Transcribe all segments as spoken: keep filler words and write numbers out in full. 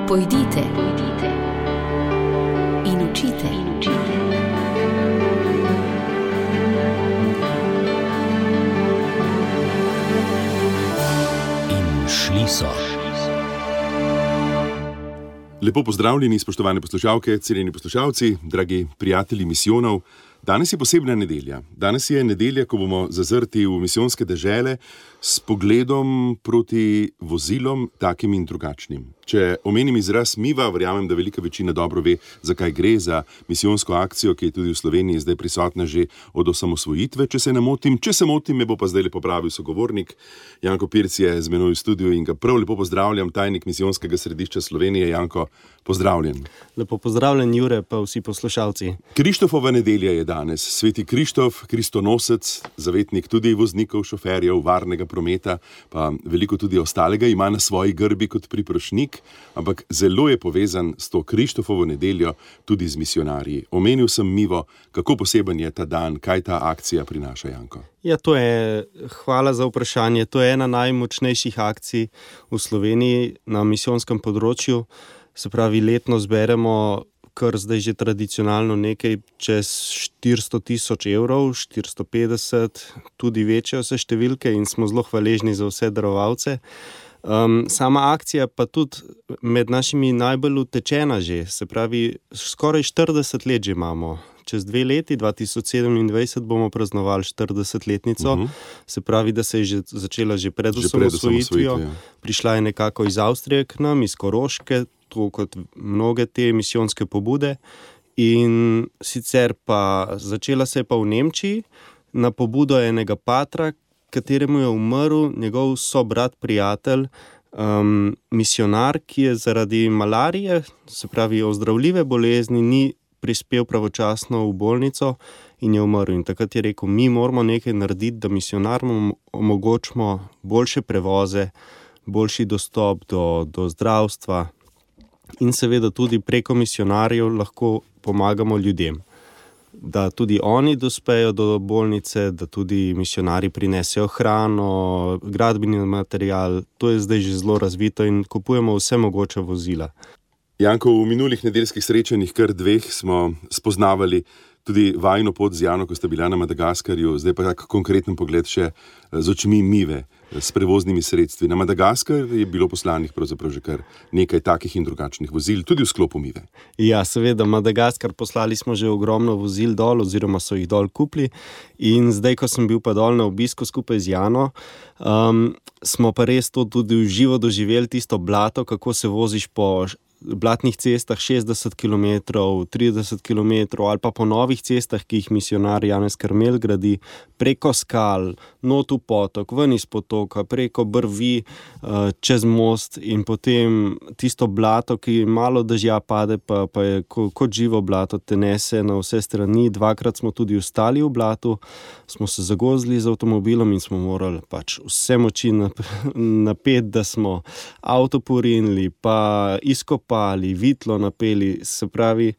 Pojdite, pojdite in učite, in učite. In šli so. Lepo pozdravljeni, spoštovane poslušalke, cenjeni poslušalci, dragi prijatelji misijonov. Danes je posebna nedelja. Danes je nedelja, ko bomo zazrti v misijonske dežele s pogledom proti vozilom, takim in drugačnim. Če omenim izraz miva, verjamem, da velika večina dobro ve, zakaj gre, za misijonsko akcijo, ki je tudi v Sloveniji zdaj prisotna že od osamosvojitve, če se ne motim. Če se motim, me bo pa zdaj popravil sogovornik. Janko Pirc je z menoj v studiu in ga prav lepo pozdravljam, tajnik misijonskega središča Slovenije. Janko, pozdravljen. Lepo pozdravljen, Jure, pa vsi poslušalci. Krištofova nedelja je danes. Sveti Krištof, kristonosec, zavetnik tudi voznikov, šoferjev, varnega prometa, pa veliko tudi ostalega, ima na svoji grbi kot priprošnik, ampak zelo je povezan s to Krištofovo nedeljo tudi z misionarji. Omenil sem Mivo, kako poseben je ta dan, kaj ta akcija prinaša, Janko? Ja, to je, hvala za vprašanje, to je ena najmočnejših akcij v Sloveniji na misijonskem področju. Se pravi, letno zberemo kar zdaj že tradicionalno nekaj čez štiristo tisoč evrov, štiristo petdeset, tudi večje vse številke in smo zelo hvaležni za vse darovalce. Um, sama akcija pa tudi med našimi najbolj utečena že, se pravi, skoraj štirideset let že imamo. Čez dve leti, dva tisoč sedemindvajset, bomo praznovali štiridesetletnico, uh-huh. Se pravi, da se je že začela že pred osamosvojitvijo. Ja. Prišla je nekako iz Avstrije k nam, iz Koroške, tako kot mnoge te misijonske pobude. In sicer pa začela se je pa v Nemčiji na pobudo enega patra, kateremu je umrl njegov sobrat prijatelj, um, misionar, ki je zaradi malarije, se pravi ozdravljive bolezni, ni prispel pravočasno v bolnico in je umrl. In takrat je rekel, mi moramo nekaj narediti, da misionarjem omogočimo boljše prevoze, boljši dostop do, do zdravstva in seveda tudi preko misionarjev lahko pomagamo ljudem. Da tudi oni dospejo do bolnice, da tudi misionarji prinesejo hrano, gradbeni material, to je zdaj že zelo razvito in kupujemo vse mogoče vozila. Janko, v minulih nedeljskih srečanjih, kar dveh, smo spoznavali tudi vajino pot z Jano, ko sta bila na Madagaskarju, zdaj pa tak konkreten pogled še z očmi Mive, s prevoznimi sredstvi. Na Madagaskar je bilo poslanih pravzaprav že kar nekaj takih in drugačnih vozil, tudi v sklopu Mive. Ja, seveda, Madagaskar poslali smo že ogromno vozil dol, oziroma so jih dol kupili. In zdaj, ko sem bil pa dol na obisku skupaj z Jano, um, smo pa res to tudi v živo doživeli, tisto blato, kako se voziš po blatnih cestah šestdeset kilometrov, trideset kilometrov ali pa po novih cestah, ki jih misionar Janez Karmel gradi, preko skal, not v potok, ven iz potoka, preko brvi, čez most in potem tisto blato, ki malo dežja pade, pa, pa je kot živo blato, te nese na vse strani. Dvakrat smo tudi ostali v blatu, smo se zagozili z avtomobilom in smo morali pač vse moči napeti, da smo avto porinili, pa izkopali, vitlo napeli, se pravi,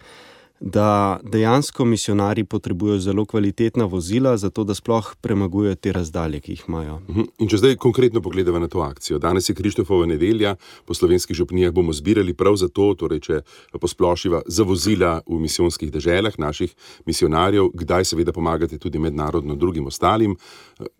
da dejansko misionarji potrebujejo zelo kvalitetna vozila, zato da sploh premagujejo te razdalje, ki jih imajo. In če zdaj konkretno pogledamo na to akcijo, danes je Krištofova nedelja, po slovenskih župnijah bomo zbirali prav za to, torej če posplošiva, za vozila v misijonskih deželah naših misionarjev, kdaj seveda pomagate tudi mednarodno drugim ostalim.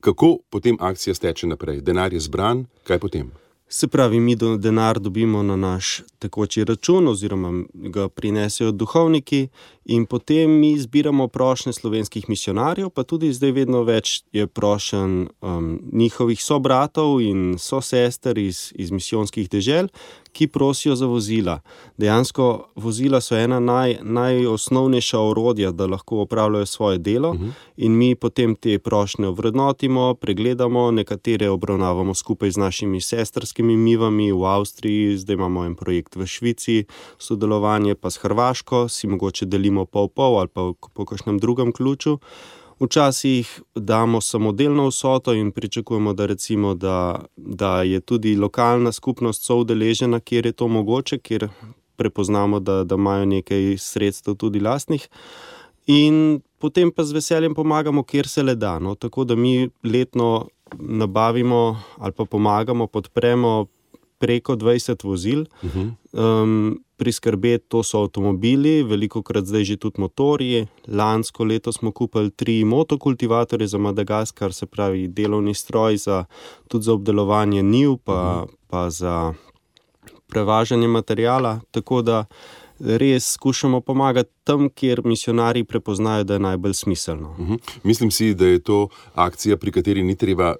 Kako potem akcija steče naprej? Denar je zbran, kaj potem? Se pravi, mi do, denar dobimo na naš tekoči račun oziroma ga prinesejo duhovniki in potem mi zbiramo prošnje slovenskih misionarjev, pa tudi zdaj vedno več je prošen um, njihovih sobratov in sosester iz, iz misijonskih dežel, ki prosijo za vozila. Dejansko vozila so ena naj, najosnovnejša orodja, da lahko opravljajo svoje delo uh-huh. in mi potem te prošnje ovrednotimo, pregledamo, nekatere obravnavamo skupaj z našimi sestrskimi mivami v Avstriji, zdaj imamo en projekt v Švici, sodelovanje pa s Hrvaško, si mogoče delimo pol-pol ali pa po kakšnem drugem ključu. Včasih damo samodelno vsoto in pričakujemo, da recimo, da, da je tudi lokalna skupnost soudeležena, kjer je to mogoče, kjer prepoznamo, da, da imajo nekaj sredstev tudi lastnih. In potem pa z veseljem pomagamo, kjer se le da. No? Tako da mi letno nabavimo ali pa pomagamo, podpremo preko dvajset vozil. Uh-huh. Um, priskrbeti to so avtomobili, velikokrat zdaj že tudi motorji. Lansko leto smo kupili tri motokultivatorje za Madagaskar, se pravi delovni stroj za, tudi za obdelovanje njiv, pa, uh-huh. pa za prevažanje materijala, tako da res skušamo pomagati tam, kjer misionarji prepoznajo, da je najbolj smiselno. Uh-huh. Mislim si, da je to akcija, pri kateri ni treba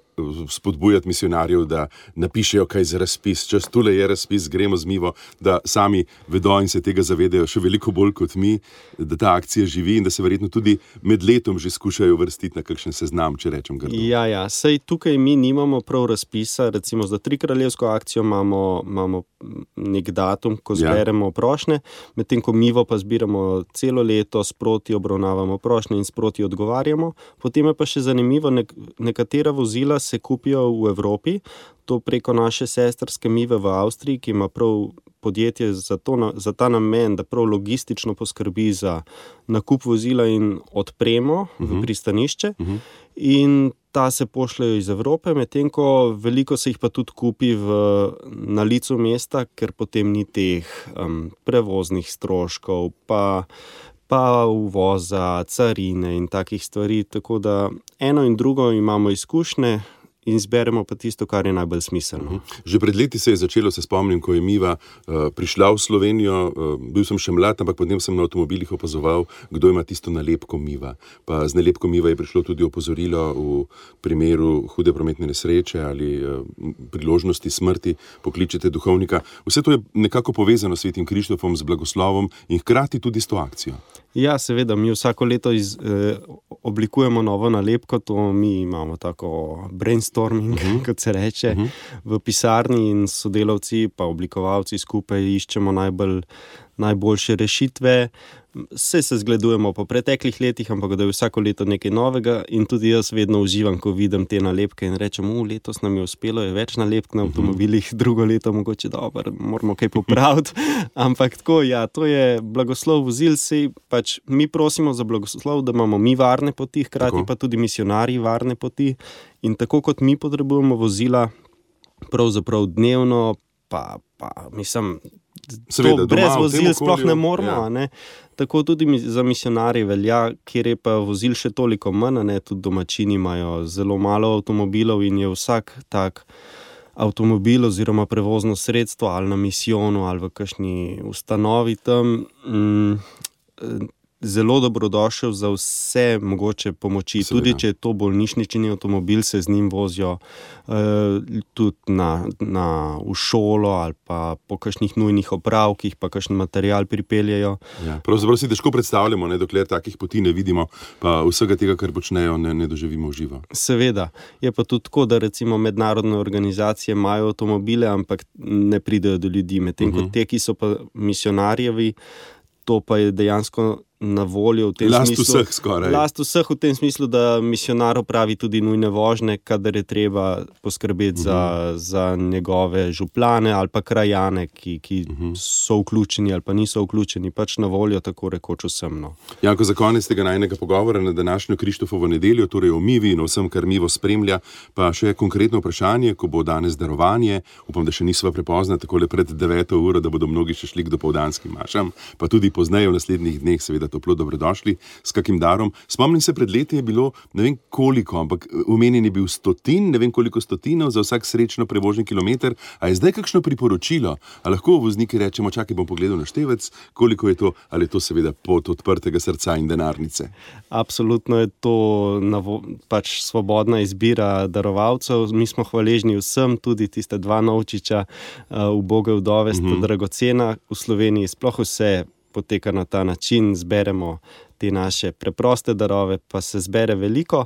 spodbujati misionarjev, da napišejo kaj za razpis. Čas tule je razpis, gremo z Mivo, da sami vedo in se tega zavedajo še veliko bolj kot mi, da ta akcija živi in da se verjetno tudi med letom že skušajo vrstiti na kakšen seznam, če rečem grdo. Ja, ja, sej tukaj mi nimamo prav razpisa, recimo za Trikraljevsko akcijo imamo, imamo nek datum, ko zberemo ja. prošnje, medtem ko Mivo pa zbiramo celo leto, sproti obravnavamo prošnje in sproti odgovarjamo. Potem je pa še zanimivo, nek- nekatera vozila se kupijo v Evropi, to preko naše sestrske Mive v Avstriji, ki ima prav podjetje za, to, za ta namen, da prav logistično poskrbi za nakup vozila in odpremo uh-huh. v pristanišče. Uh-huh. In ta se pošljajo iz Evrope, medtem ko veliko se jih pa tudi kupi v, na licu mesta, ker potem ni teh um, prevoznih stroškov, pa, pa uvoza, carine in takih stvari. Tako da eno in drugo imamo izkušnje in zberemo pa tisto, kar je najbolj smiselno. Že pred leti se je začelo, se spomnim, ko je Miva uh, prišla v Slovenijo, uh, bil sem še mlad, ampak potem sem na avtomobilih opazoval, kdo ima tisto nalepko Miva. Pa z nalepko Miva je prišlo tudi opozorilo v primeru hude prometne nesreče ali uh, priložnosti smrti, pokličete duhovnika. Vse to je nekako povezano s Svetim Krištofom, z blagoslovom in hkrati tudi s to akcijo. Ja, seveda, mi vsako leto iz, eh, oblikujemo novo nalepko, to mi imamo tako brainstorming, uh-huh. kot se reče, uh-huh. v pisarni in sodelavci pa oblikovalci skupaj iščemo najbolj, najboljše rešitve. Vse se zgledujemo po preteklih letih, ampak da je vsako leto nekaj novega in tudi jaz vedno uživam, ko vidim te nalepke in rečem, u, letos nam je uspelo, je več nalepk na avtomobilih, drugo leto mogoče dobro, moramo kaj popraviti, ampak tako, ja, to je blagoslov vozil, sej pač mi prosimo za blagoslov, da imamo mi varne poti, hkrati tako. Pa tudi misionarji varne poti in tako kot mi potrebujemo vozila pravzaprav dnevno, pa, pa mislim, Seveda, to brez doma, vozil sploh ne moramo, ja. ne? Tako tudi za misionarje velja, kjer je pa vozil še toliko manj, ne? Tudi domačini imajo zelo malo avtomobilov in je vsak tak avtomobil oziroma prevozno sredstvo ali na misijonu ali v kakšni ustanovi tam mm, zelo dobrodošel za vse mogoče pomoči. Seveda. Tudi če je to bolnišnični avtomobil, se z njim vozijo uh, tudi na, na, v šolo ali pa po kakšnih nujnih opravkih, pa kakšen material pripeljejo. Ja, pravzaprav si težko predstavljamo, ne, dokler takih poti ne vidimo, pa vsega tega, kar počnejo, ne, ne doživimo v živo. Seveda. Je pa tudi tako, da recimo mednarodne organizacije imajo avtomobile, ampak ne pridejo do ljudi. Medtem uh-huh. kot te, ki so pa misionarjevi, to pa je dejansko na voljo v tem last smislu. Vseh skoraj. Last vseh v tem smislu, da misionar opravi tudi nujne vožnje, kadar je treba poskrbeti uh-huh. za, za njegove župlane ali pa krajane, ki, ki uh-huh. so vključeni ali pa niso vključeni, pač na voljo tako rekoč vsem. No. Janko, za konec tega najnega pogovora na današnjo Krištofovo nedeljo, torej o Mivi in o vsem, kar Mivo spremlja, pa še konkretno vprašanje, ko bo danes darovanje, upam, da še nisva prepozna, takole pred deveto uro, da bodo mnogi še šli k dopoldanskim mašam, pa tudi pozneje v naslednjih dneh, seveda toplo dobrodošli s kakim darom. Spomnim se, pred leti je bilo, ne vem koliko, ampak omenjen je bil stotin, ne vem koliko stotinov za vsak srečno prevožen kilometer. A je zdaj kakšno priporočilo? A lahko vozniki rečemo, čakaj, bom pogledal na števec, koliko je to, ali je to seveda pot odprtega srca in denarnice? Absolutno je to navo, pač svobodna izbira darovalcev. Mi smo hvaležni vsem, tudi tiste dva novčiča, uh, uboge vdove, sta mm-hmm. dragocena. V Sloveniji sploh vse poteka na ta način, zberemo te naše preproste darove, pa se zbere veliko,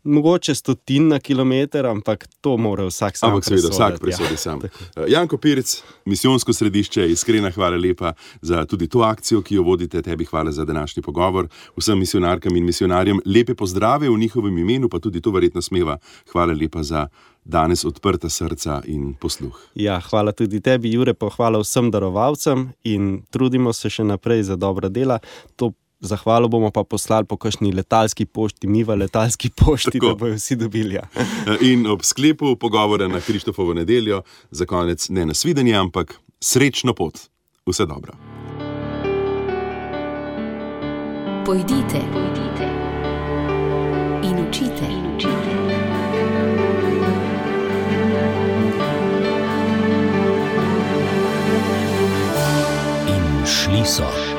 mogoče stotin na kilometer, ampak to mora vsak sam ampak seveda, vsak presodi ja. sam. Janko Pirc, Misijonsko središče, iskrena hvala lepa za tudi to akcijo, ki jo vodite, tebi hvala za današnji pogovor, vsem misionarkam in misionarjem lepe pozdrave v njihovem imenu, pa tudi to verjetno smeva. Hvala lepa za danes odprta srca in posluh. Ja, hvala tudi tebi, Jure, pa hvala vsem darovalcem in trudimo se še naprej za dobra dela. To zahvalo bomo pa poslali po kakšni letalski pošti, mi v letalski pošti, Tako. da bojo vsi dobili. Ja. In ob sklepu pogovora na Krištofovo nedeljo za konec ne nasvidenje, ampak srečno pot. Vse dobro. Pojdite, pojdite in učite, in učite. In šli so.